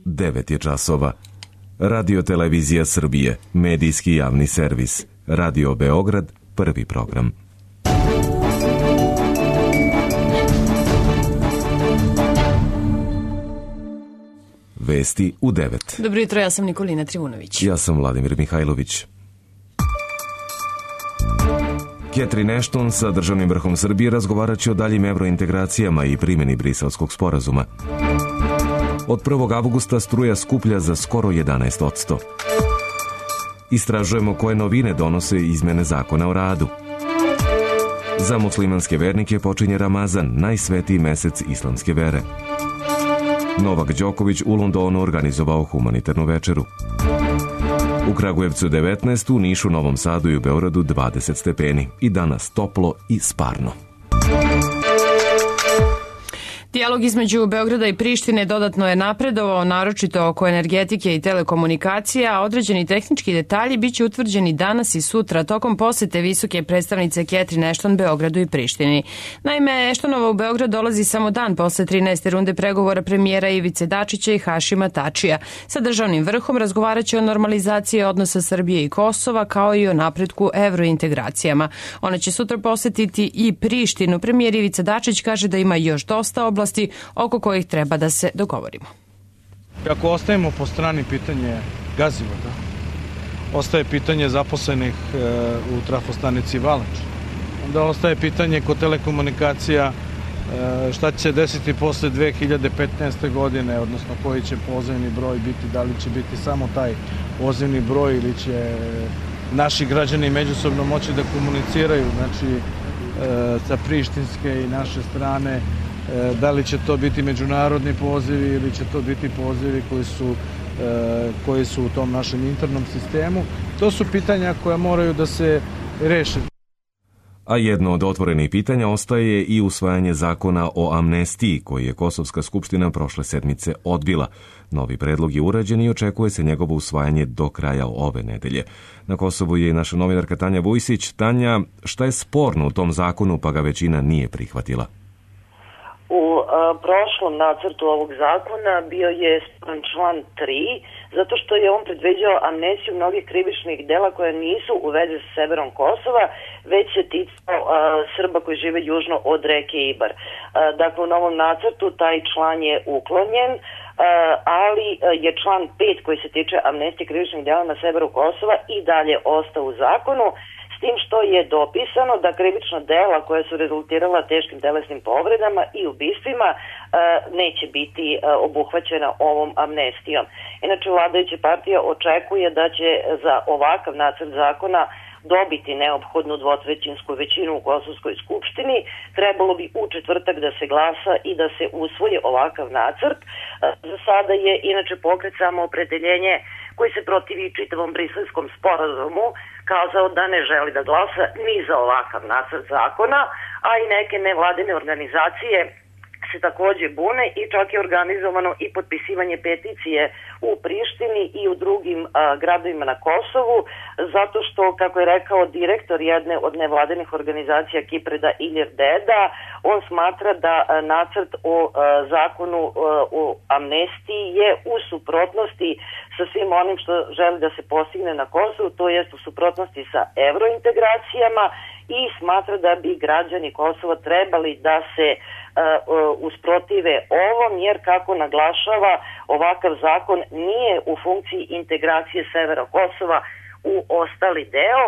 9 je časova. Radio Televizija Srbije, medijski javni servis. Radio Beograd, prvi program. Vesti u 9. Dobro jutro, ja sam Nikolina Trivunović. Ja sam Vladimir Mihajlović. Catherine Ashton sa državnim vrhom Srbije razgovarat će o daljim evrointegracijama i primjeni Briselskog sporazuma. Od 1. avgusta struja skuplja za skoro 11%. Istražujemo koje novine donose izmene zakona o radu. Za muslimanske vernike počinje Ramazan, najsvetiji mesec islamske vere. Novak Đoković u Londonu organizovao humanitarnu večeru. U Kragujevcu 19, u Nišu, Novom Sadu i u Beogradu 20 stepeni. I danas toplo i sparno. Dijalog između Beograda i Prištine dodatno je napredovao, naročito oko energetike i telekomunikacija, a određeni tehnički detalji biće utvrđeni danas i sutra tokom posete visoke predstavnice Catherine Ashton Beogradu i Prištini. Naime, Ashtonova u Beograd dolazi samo dan posle 13. runde pregovora premijera Ivice Dačića i Hašima Tačija. Sa državnim vrhom razgovaraće o normalizaciji odnosa Srbije i Kosova, kao i o napretku evrointegracijama. Ona će sutra posetiti i Prištinu. Premijer Ivica Dačić kaže da ima još dosta oblasti oko kojih treba da se dogovorimo. Ako ostavimo po strani pitanje gazivoda, ostaje pitanje zaposlenih u trafostanici Valač, onda ostaje pitanje kod telekomunikacija šta će se desiti posle 2015. godine, odnosno koji će pozivni broj biti, da li će biti samo taj pozivni broj ili će naši građani međusobno moći da komuniciraju, znači sa prištinske i naše strane, da li će to biti međunarodni pozivi ili će to biti pozivi koji su u tom našem internom sistemu. To su pitanja koja moraju da se reše. A jedno od otvorenih pitanja ostaje i usvajanje zakona o amnestiji, koji je Kosovska skupština prošle sedmice odbila. Novi predlog je urađen i očekuje se njegovo usvajanje do kraja ove nedelje. Na Kosovu je i naša novinarka Tanja Vujsić. Tanja, šta je sporno u tom zakonu pa ga većina nije prihvatila? U prošlom nacrtu ovog zakona bio je sporan član 3, zato što je on predviđao amnestiju mnogih krivičnih dela koja nisu u vezi sa severom Kosova, već se ticao Srba koji žive južno od reke Ibar. Dakle, u novom nacrtu taj član je uklonjen, ali je član 5 koji se tiče amnestije krivičnih dela na severu Kosova i dalje ostao u zakonu, s tim što je dopisano da krivična dela koja su rezultirala teškim telesnim povredama i ubistvima neće biti obuhvaćena ovom amnestijom. Inače, vladajuća partija očekuje da će za ovakav nacrt zakona dobiti neophodnu dvotrećinsku većinu u Kosovskoj skupštini. Trebalo bi u četvrtak da se glasa i da se usvoji ovakav nacrt. Za sada je inače pokret Samoopredeljenje koji se protivi čitavom Briselskom sporazumu kazao da ne želi da glasa ni za ovakav nacrt zakona, a i neke nevladine organizacije se takođe bune i čak je organizovano i potpisivanje peticije u Prištini i u drugim gradovima na Kosovu, zato što, kako je rekao direktor jedne od nevladinih organizacija Kipreda Ilir Deda, on smatra da nacrt o zakonu o amnestiji je u suprotnosti sa svim onim što želi da se postigne na Kosovu, to jest u suprotnosti sa evrointegracijama, i smatra da bi građani Kosova trebali da se usprotive ovom, jer kako naglašava, ovakav zakon nije u funkciji integracije severa Kosova u ostali deo,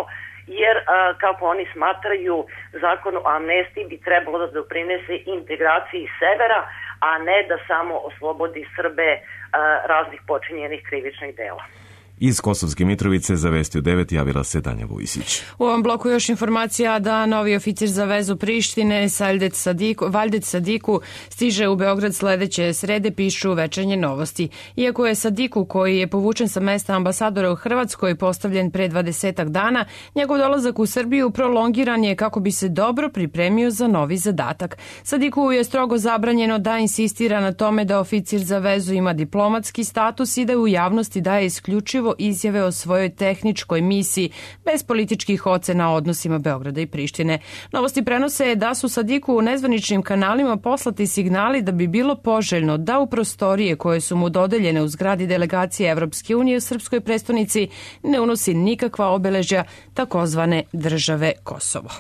jer kako oni smatraju, zakon o amnestiji bi trebalo da doprinese integraciji severa, a ne da samo oslobodi Srbe raznih počinjenih krivičnih dela. Iz Kosovske Mitrovice za Vesti u 9 javila se Tanja Vujsić. U ovom bloku još informacija da novi oficir za vezu Prištine Valjdet Sadiku stiže u Beograd sledeće srede, pišu Večernje novosti. Iako je Sadiku, koji je povučen sa mesta ambasadora u Hrvatskoj, postavljen pre 20 dana, njegov dolazak u Srbiju prolongiran je kako bi se dobro pripremio za novi zadatak. Sadiku je strogo zabranjeno da insistira na tome da oficir za vezu ima diplomatski status i da u javnosti daje isključivo Kosovo izjave o svojoj tehničkoj misiji bez političkih ocena o odnosima Beograda i Prištine. Novosti prenose da su Sadiku u nezvaničnim kanalima poslati signali da bi bilo poželjno da u prostorije koje su mu dodeljene u zgradi delegacije Evropske unije u srpskoj prestonici ne unosi nikakva obeležja takozvane države Kosovo.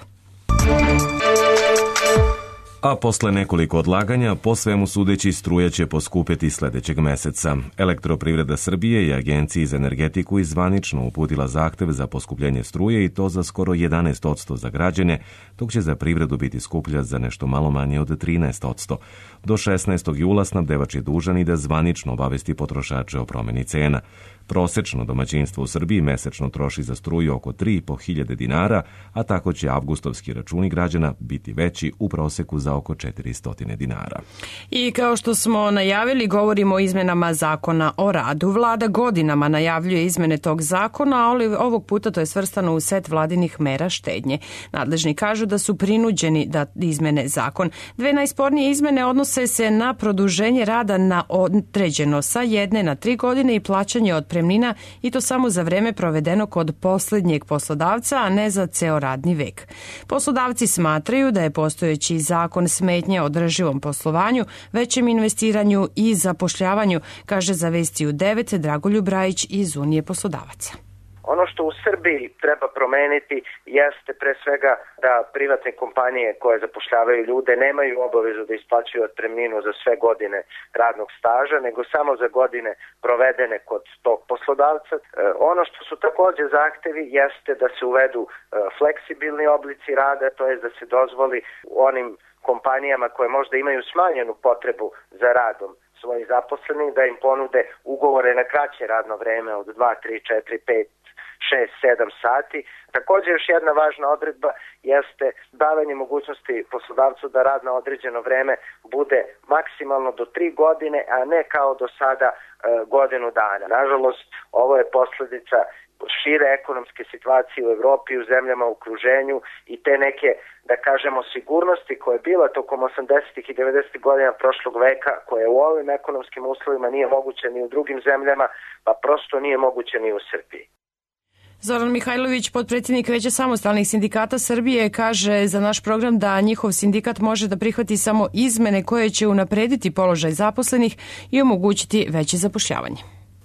A posle nekoliko odlaganja, po svemu sudeći, struja će poskupeti sledećeg meseca. Elektroprivreda Srbije i Agenciji za energetiku i zvanično uputila zahtev za poskupljenje struje i to za skoro 11% za građane, dok će za privredu biti skuplja za nešto malo manje od 13%. Do 16. jula snabdevač je dužan i da zvanično obavesti potrošače o promeni cena. Prosečno domaćinstvo u Srbiji mesečno troši za struju oko 3.500 dinara, a tako će avgustovski računi građana biti veći u proseku za oko 400 dinara. I kao što smo najavili, govorimo o izmenama zakona o radu. Vlada godinama najavljuje izmene tog zakona, ali ovog puta to je svrstano u set vladinih mera štednje. Nadležni kažu da su prinuđeni da izmene zakon. Dve najspornije izmene odnose se na produženje rada na određeno sa 1 na 3 godine i plaćanje otpremnina, i to samo za vreme provedeno kod poslednjeg poslodavca, a ne za ceo radni vek. Poslodavci smatraju da je postojeći zakon smetnja održivom poslovanju, većem investiranju i zapošljavanju, kaže za Vesti u 9 Dragoljub Rajić iz Unije poslodavaca. Ono što u Srbiji treba promeniti jeste pre svega da privatne kompanije koje zapošljavaju ljude nemaju obavezu da isplaćuju otpremninu za sve godine radnog staža, nego samo za godine provedene kod tog poslodavca. Ono što su takođe zahtevi jeste da se uvedu fleksibilni oblici rada, to je da se dozvoli onim kompanijama koje možda imaju smanjenu potrebu za radom svojih zaposlenih, da im ponude ugovore na kraće radno vreme od 2, 3, 4, 5, 6, 7 sati. Također još jedna važna odredba jeste davanje mogućnosti poslodavcu da rad na određeno vreme bude maksimalno do 3 godine, a ne kao do sada godinu dana. Nažalost, ovo je posledica šire ekonomske situacije u Evropi, u zemljama u okruženju i te neke, da kažemo, sigurnosti koja je bila tokom 80. i 90. godina prošlog veka, koja u ovim ekonomskim uslovima nije moguća ni u drugim zemljama, pa prosto nije moguća ni u Srbiji. Zoran Mihajlović, potpredsjednik Veća samostalnih sindikata Srbije, kaže za naš program da njihov sindikat može da prihvati samo izmene koje će unaprediti položaj zaposlenih i omogućiti veće zapošljavanje.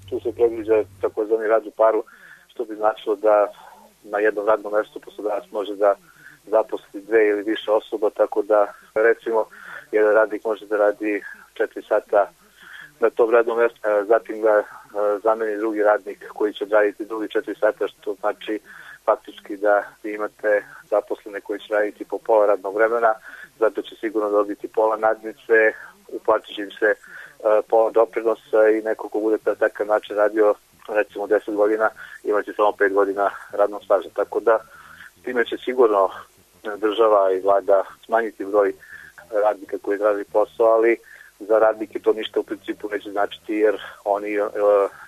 Tu se predviđa takozvani rad u paru, što bi značilo da na jednom radnom mestu poslodavac može da zaposli 2 ili više osoba, tako da recimo jedan radnik može da radi 4 sata na tom radnom mestu, zatim ga zameni drugi radnik koji će raditi drugi 4 sata, što znači faktički da vi imate zaposlene koji će raditi po pola radnog vremena, zato će sigurno dobiti pola nadnice, uplatit će im se pola doprinosa i neko ko bude na takav način radio recimo 10 godina, imaće samo 5 godina radnog staža. Tako da time će sigurno država i vlada smanjiti broj radnika koji traži posao, ali za radnike to ništa u principu neće značiti, jer oni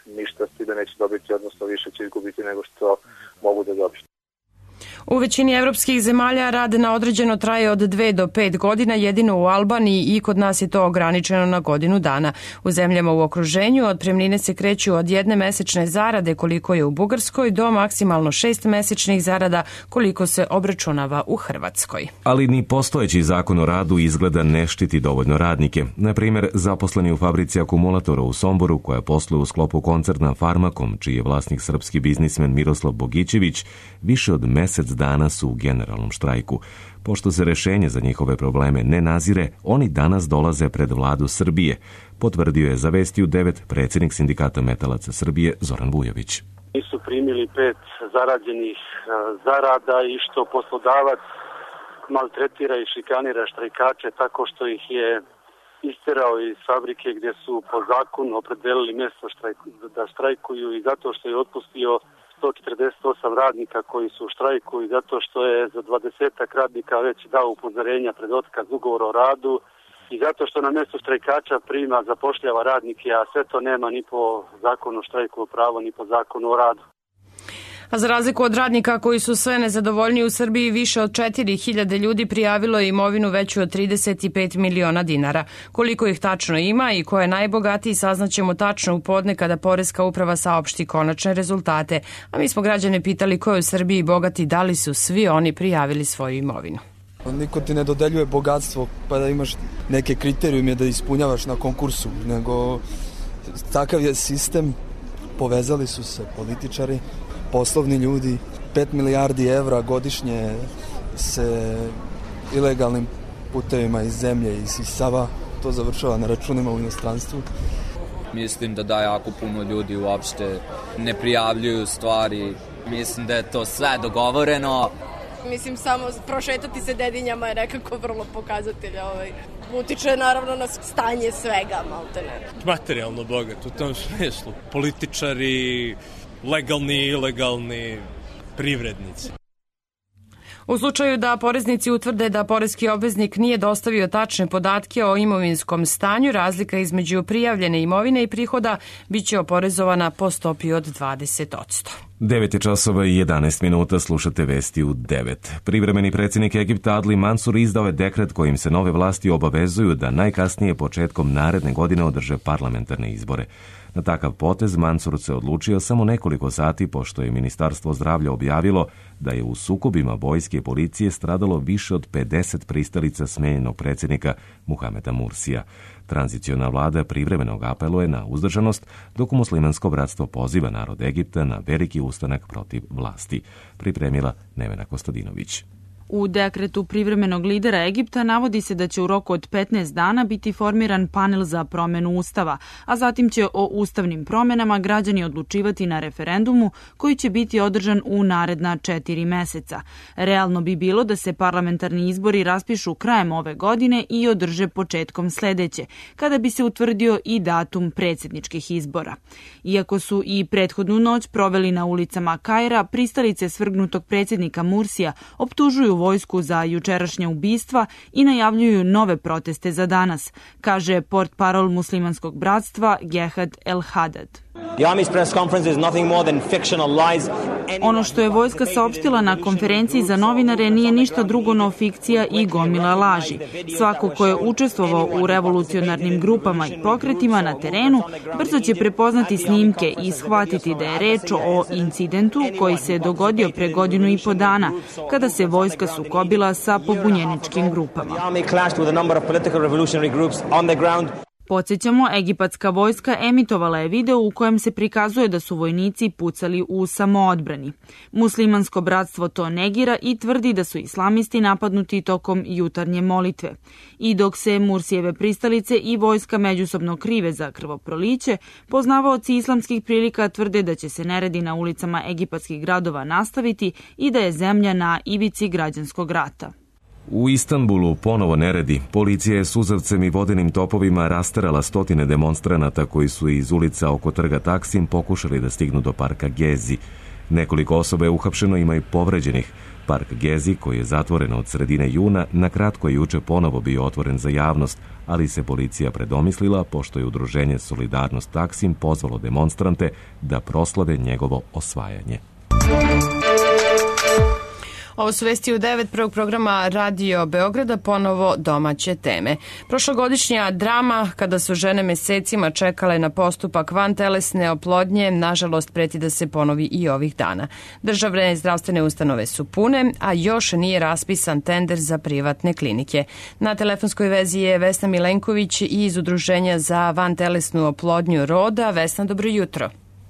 ništa s time neće dobiti, odnosno više će izgubiti nego što mogu da dobiju. U većini evropskih zemalja rad na određeno traje od 2 do 5 godina, jedino u Albaniji i kod nas je to ograničeno na godinu dana. U zemljama u okruženju otpremnine se kreću od 1 mesečne zarade koliko je u Bugarskoj do maksimalno 6 mesečnih zarada koliko se obračunava u Hrvatskoj. Ali ni postojeći zakon o radu izgleda ne štiti dovoljno radnike. Na primjer, zaposleni u fabrici akumulatora u Somboru, koja posluje u sklopu koncerna Farmakom, čiji je vlasnik srpski biznismen Miroslav Bogićević, više od mesec dana su u generalnom štrajku. Pošto se rešenje za njihove probleme ne nazire, oni danas dolaze pred vladu Srbije, potvrdio je za Vesti u 9 predsjednik Sindikata metalaca Srbije Zoran Vujović. Nisu primili 5 zarađenih zarada i što poslodavac maltretira i šikanira štrajkače tako što ih je isterao iz fabrike gdje su po zakonu opredelili mjesto da štrajkuju i zato što je otpustio 148 radnika koji su u štrajku i zato što je za 20 radnika već dao upozorenja pred otkaz ugovora o radu i zato što na mjestu štrajkača prima, zapošljava radnike, a sve to nema ni po zakonu o štrajku pravo, ni po zakonu o radu. A za razliku od radnika koji su sve nezadovoljniji u Srbiji, više od 4.000 ljudi prijavilo je imovinu veću od 35 miliona dinara. Koliko ih tačno ima i ko je najbogatiji saznaćemo tačno u podne kada Poreska uprava saopšti konačne rezultate. A mi smo građane pitali ko je u Srbiji bogati, da li su svi oni prijavili svoju imovinu. Niko ti ne dodeljuje bogatstvo pa da imaš neke kriterijume da ispunjavaš na konkursu, nego takav je sistem, povezali su se političari, poslovni ljudi, 5 milijardi evra godišnje se ilegalnim putevima iz zemlje isisava, to završava na računima u inostranstvu. Mislim da jako puno ljudi uopšte ne prijavljuju stvari, mislim da je to sve dogovoreno. Mislim, samo prošetati se Dedinjama je nekako vrlo pokazatelj. Utiče naravno na stanje svega, maltene. Materijalno bogat u tom smislu. Političari, legalni i ilegalni, privrednici. U slučaju da poreznici utvrde da poreski obveznik nije dostavio tačne podatke o imovinskom stanju, razlika između prijavljene imovine i prihoda biće oporezovana po stopi od 20%. 9 časova i 11 minuta, slušate vesti u 9. Privremeni predsjednik Egipta Adli Mansur izdao je dekret kojim se nove vlasti obavezuju da najkasnije početkom naredne godine održe parlamentarne izbore. Na takav potez Mansur se odlučio samo nekoliko sati pošto je Ministarstvo zdravlja objavilo da je u sukobima vojske i policije stradalo više od 50 pristalica smenjenog predsjednika Muhameda Mursija. Tranziciona vlada privremeno apeluje na uzdržanost, dok muslimansko bratstvo poziva narod Egipta na veliki ustanak protiv vlasti. Pripremila Nevena Kostadinović. U dekretu privremenog lidera Egipta navodi se da će u roku od 15 dana biti formiran panel za promenu ustava, a zatim će o ustavnim promenama građani odlučivati na referendumu koji će biti održan u naredna 4 meseca. Realno bi bilo da se parlamentarni izbori raspišu krajem ove godine i održe početkom sledeće, kada bi se utvrdio i datum predsjedničkih izbora. Iako su i prethodnu noć proveli na ulicama Kaira, pristalice svrgnutog predsjednika Mursija optužuju vojsku za jučerašnja ubistva i najavljuju nove proteste za danas, kaže portparol muslimanskog bratstva Gehad El Hadad. Ono što je vojska saopštila na konferenciji za novinare nije ništa drugo no fikcija i gomila laži. Svako ko je učestvovao u revolucionarnim grupama i pokretima na terenu brzo će prepoznati snimke i shvatiti da je reč o incidentu koji se dogodio pre 1.5 godina kada se vojska sukobila sa pobunjeničkim grupama. Podsjećamo, egipatska vojska emitovala je video u kojem se prikazuje da su vojnici pucali u samoodbrani. Muslimansko bratstvo to negira i tvrdi da su islamisti napadnuti tokom jutarnje molitve. I dok se Mursijeve pristalice i vojska međusobno krive za krvoproliće, poznavaoci islamskih prilika tvrde da će se neredi na ulicama egipatskih gradova nastaviti i da je zemlja na ivici građanskog rata. U Istanbulu ponovo neredi. Policija je suzavcem i vodenim topovima rasterala stotine demonstranata koji su iz ulica oko trga Taksim pokušali da stignu do parka Gezi. Nekoliko osoba je uhapšeno, ima i povređenih. Park Gezi, koji je zatvoren od sredine juna, na kratko je juče ponovo bio otvoren za javnost, ali se policija predomislila pošto je udruženje Solidarnost Taksim pozvalo demonstrante da proslave njegovo osvajanje. Ovo su vesti u 9 prvog programa Radio Beograda, ponovo domaće teme. Prošlogodišnja drama, kada su žene mesecima čekale na postupak vantelesne oplodnje, nažalost preti da se ponovi i ovih dana. Državne zdravstvene ustanove su pune, a još nije raspisan tender za privatne klinike. Na telefonskoj vezi je Vesna Milenković iz Udruženja za vantelesnu oplodnju Roda. Vesna, dobro jutro.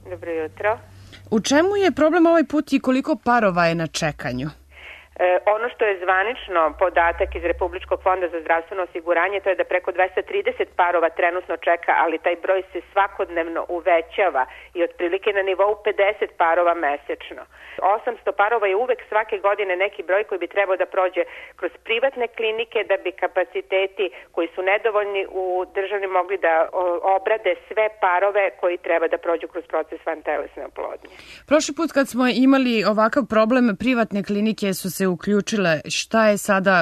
Dobro jutro. U čemu je problem ovaj put i koliko parova je na čekanju? Ono što je zvanično podatak iz Republičkog fonda za zdravstveno osiguranje, to je da preko 230 parova trenutno čeka, ali taj broj se svakodnevno uvećava i otprilike na nivou 50 parova mesečno. 800 parova je uvek svake godine neki broj koji bi trebao da prođe kroz privatne klinike da bi kapaciteti koji su nedovoljni u državi mogli da obrade sve parove koji treba da prođu kroz proces vantelesne oplodnje. Prošli put kad smo imali ovakav problem, privatne klinike su se se uključile. Šta je sada,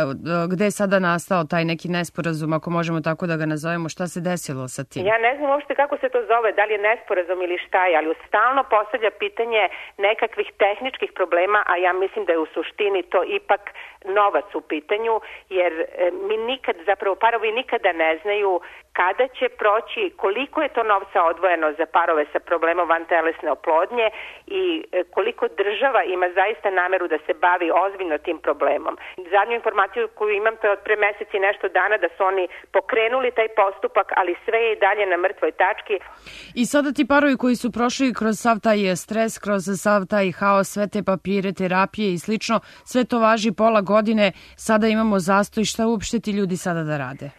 gde je sada nastao taj neki nesporazum, ako možemo tako da ga nazovemo, šta se desilo sa tim? Ja ne znam uopšte kako se to zove, da li je nesporazum ili šta je, ali stalno postavlja pitanje nekakvih tehničkih problema, a ja mislim da je u suštini to ipak novac u pitanju, jer mi nikad, zapravo parovi nikada ne znaju kada će proći, koliko je to novca odvojeno za parove sa problemom vantelesne oplodnje i koliko država ima zaista nameru da se bavi ozbiljno tim problemom. Zadnju informaciju koju imam, to je od pre mesec i nešto dana, da su oni pokrenuli taj postupak, ali sve je i dalje na mrtvoj tački. I sada ti parovi koji su prošli kroz sav taj stres, kroz sav taj haos, sve te papire, terapije i slično, sve to važi pola godine, sada imamo zastoj, šta uopšte ti ljudi sada da rade?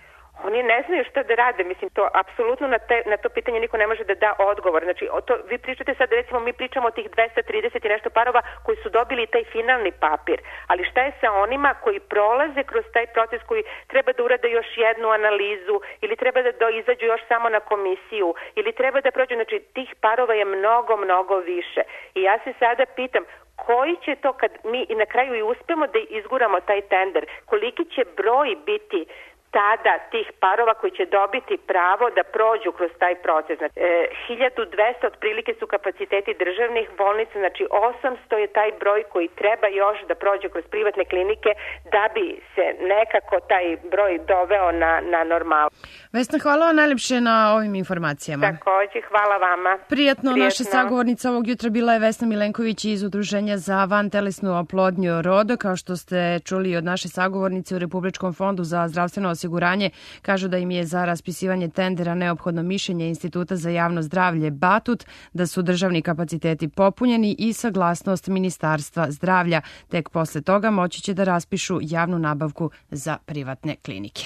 Oni ne znaju šta da rade, mislim, to apsolutno na to pitanje niko ne može da da odgovor. Znači, vi pričate sad, recimo, mi pričamo o tih 230 i nešto parova koji su dobili taj finalni papir, ali šta je sa onima koji prolaze kroz taj proces, koji treba da urade još jednu analizu ili treba da izađu još samo na komisiju ili treba da prođu, znači, tih parova je mnogo, mnogo više. I ja se sada pitam, koji će to, kad mi i na kraju i uspemo da izguramo taj tender, koliki će broj biti tada tih parova koji će dobiti pravo da prođu kroz taj proces. Znači, 1200 otprilike su kapaciteti državnih bolnica, znači 800 je taj broj koji treba još da prođe kroz privatne klinike da bi se nekako taj broj doveo na normalu. Vesna, hvala vam najlepše na ovim informacijama. Takođe, hvala vama. Prijatno. Naša sagovornica ovog jutra bila je Vesna Milenković iz Udruženja za vantelesnu oplodnju RODO. Kao što ste čuli od naše sagovornice u Republičkom fondu za zdravstveno osiguranje, kažu da im je za raspisivanje tendera neophodno mišljenje Instituta za javno zdravlje Batut, da su državni kapaciteti popunjeni i saglasnost Ministarstva zdravlja. Tek posle toga moći će da raspišu javnu nabavku za privatne klinike.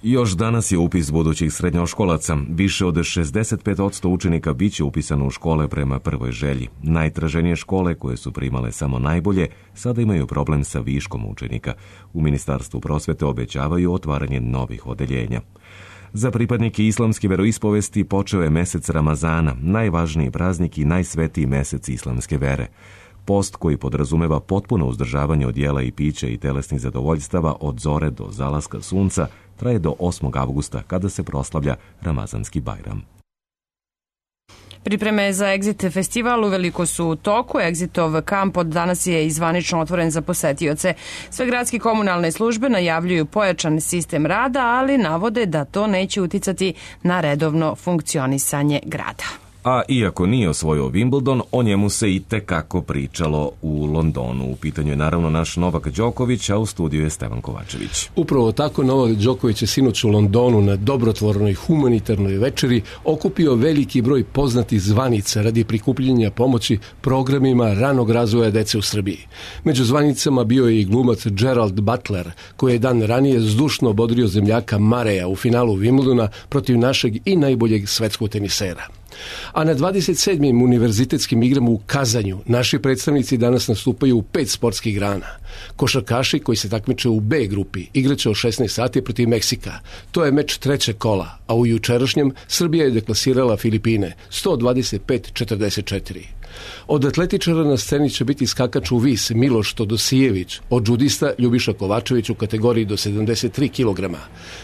Još danas je upis budućih srednjoškolaca. Više od 65% učenika biće upisano u škole prema prvoj želji. Najtraženije škole, koje su primale samo najbolje, sada imaju problem sa viškom učenika. U Ministarstvu prosvete obećavaju otvaranje novih odeljenja. Za pripadnike islamske veroispovesti počeo je mesec Ramazana, najvažniji praznik i najsvetiji mesec islamske vere. Post koji podrazumeva potpuno uzdržavanje od jela i pića i telesnih zadovoljstava od zore do zalaska sunca traje do 8. avgusta kada se proslavlja Ramazanski Bajram. Pripreme za Exit festival uveliko su u toku. Exitov kamp od danas je zvanično otvoren za posetioce. Sve gradske komunalne službe najavljuju pojačan sistem rada, ali navode da to neće uticati na redovno funkcionisanje grada. A iako nije osvojio Wimbledon, o njemu se i tekako pričalo u Londonu. U pitanju je naravno naš Novak Đoković, a u studiju je Stevan Kovačević. Upravo tako Novak Đoković je sinoć u Londonu na dobrotvornoj humanitarnoj večeri okupio veliki broj poznatih zvanica radi prikupljanja pomoći programima ranog razvoja dece u Srbiji. Među zvanicama bio je i glumac Gerald Butler, koji je dan ranije zdušno bodrio zemljaka Mareja u finalu Wimbledona protiv našeg i najboljeg svetskog tenisera. A na 27. univerzitetskim igrama u Kazanju naši predstavnici danas nastupaju u 5 sportskih grana. Košarkaši koji se takmiče u B grupi igraće o 16 sati protiv Meksika. To je meč trećeg kola, a u jučerašnjem Srbija je deklasirala Filipine 125-44. Od atletičara na sceni će biti skakač u vis Miloš Todosijević, od džudista Ljubiša Kovačević u kategoriji do 73 kg.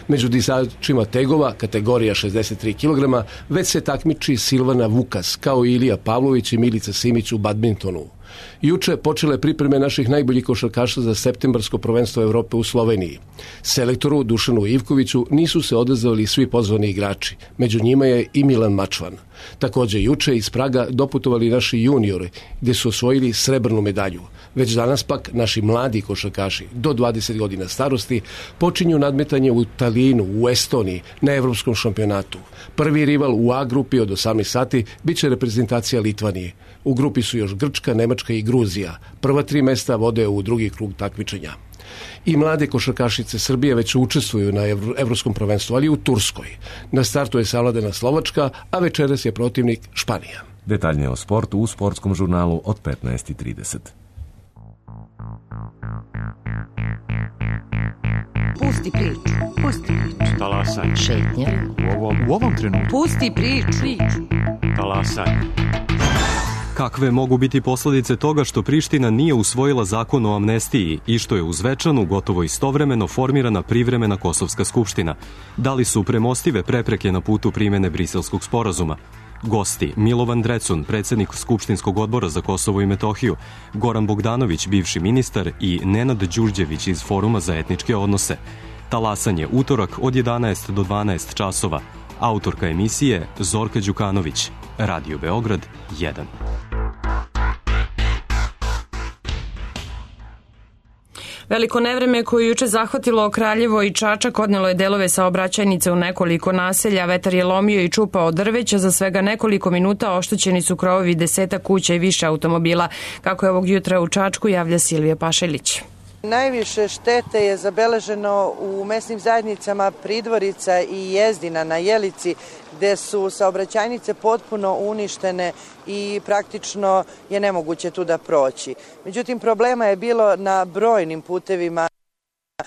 Među dizačima tegova, kategorija 63 kg, već se takmiči Silvana Vukas, kao i Ilija Pavlović i Milica Simić u badmintonu. Juče počele pripreme naših najboljih košarkaša za septembarsko prvenstvo Evrope u Sloveniji. Selektoru Dušanu Ivkoviću nisu se odazvali svi pozvani igrači. Među njima je i Milan Mačvan. Takođe juče iz Praga doputovali naši juniori gdje su osvojili srebrnu medalju. Već danas pak naši mladi košarkaši do 20 godina starosti počinju nadmetanje u Talinu, u Estoniji, na evropskom šampionatu. Prvi rival u A grupi od 18 sati biće reprezentacija Litvanije. U grupi su još Grčka, Nemačka i Gruzija. Prva 3 mesta vode u drugi krug takmičenja. I mlade košarkašice Srbije već učestvuju na evropskom prvenstvu, ali u Turskoj. Na startu je savladana Slovačka, a večeras je protivnik Španija. Detaljnije o sportu u sportskom žurnalu od 15:30. Pusti priču, pusti priču. Talasaj. Šetnja. U ovom trenutku. Pusti priču. Talasaj. Kakve mogu biti posledice toga što Priština nije usvojila zakon o amnestiji i što je uz Zvečanu gotovo istovremeno formirana privremena Kosovska skupština? Da li su premostive prepreke na putu primene Briselskog sporazuma? Gosti: Milovan Drecun, predsednik Skupštinskog odbora za Kosovo i Metohiju, Goran Bogdanović, bivši ministar, i Nenad Đurđević iz Foruma za etničke odnose. Talasanje utorak od 11 do 12 časova. Autorka emisije Zorka Đukanović. Radio Beograd 1. Veliko nevreme koje juče zahvatilo Kraljevo i Čačak odnelo je delove saobraćajnice u nekoliko naselja. Vetar je lomio i čupao drveća, za svega nekoliko minuta oštećeni su krovovi 10 kuća i više automobila. Kako je ovog jutra u Čačku, javlja Silvija Pašelić. Najviše štete je zabeleženo u mesnim zajednicama Pridvorica i Jezdina na Jelici, gde su saobraćajnice potpuno uništene i praktično je nemoguće tu da proći. Međutim, problema je bilo na brojnim putevima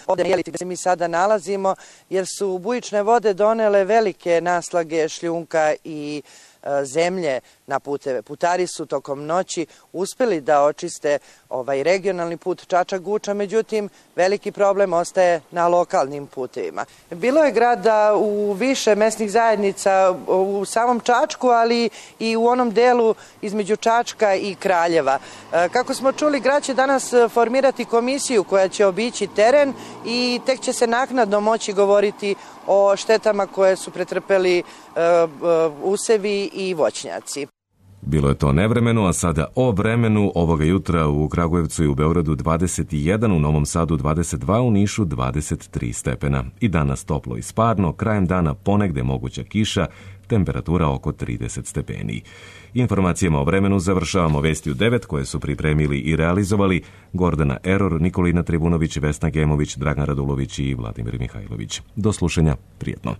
ovde na Jelici gde se mi sada nalazimo, jer su bujične vode donele velike naslage šljunka i zemlje na puteve. Putari su tokom noći uspeli da očiste ovaj regionalni put Čačak-Guča, međutim veliki problem ostaje na lokalnim putevima. Bilo je grada u više mesnih zajednica u samom Čačku, ali i u onom delu između Čačka i Kraljeva. Kako smo čuli, grad će danas formirati komisiju koja će obići teren i tek će se naknadno moći govoriti o štetama koje su pretrpeli usevi i voćnjaci. Bilo je to nevremeno, a sada o vremenu. Ovoga jutra u Kragujevcu i u Beogradu 21, u Novom Sadu 22, u Nišu 23 stepena. I danas toplo i sparno, krajem dana ponegde moguća kiša, temperatura oko 30 stepeni. Informacijama o vremenu završavamo vesti u 9 koje su pripremili i realizovali Gordana Eror, Nikolina Tribunović, Vesna Gemović, Dragan Radulović i Vladimir Mihajlović. Do slušanja, prijetno.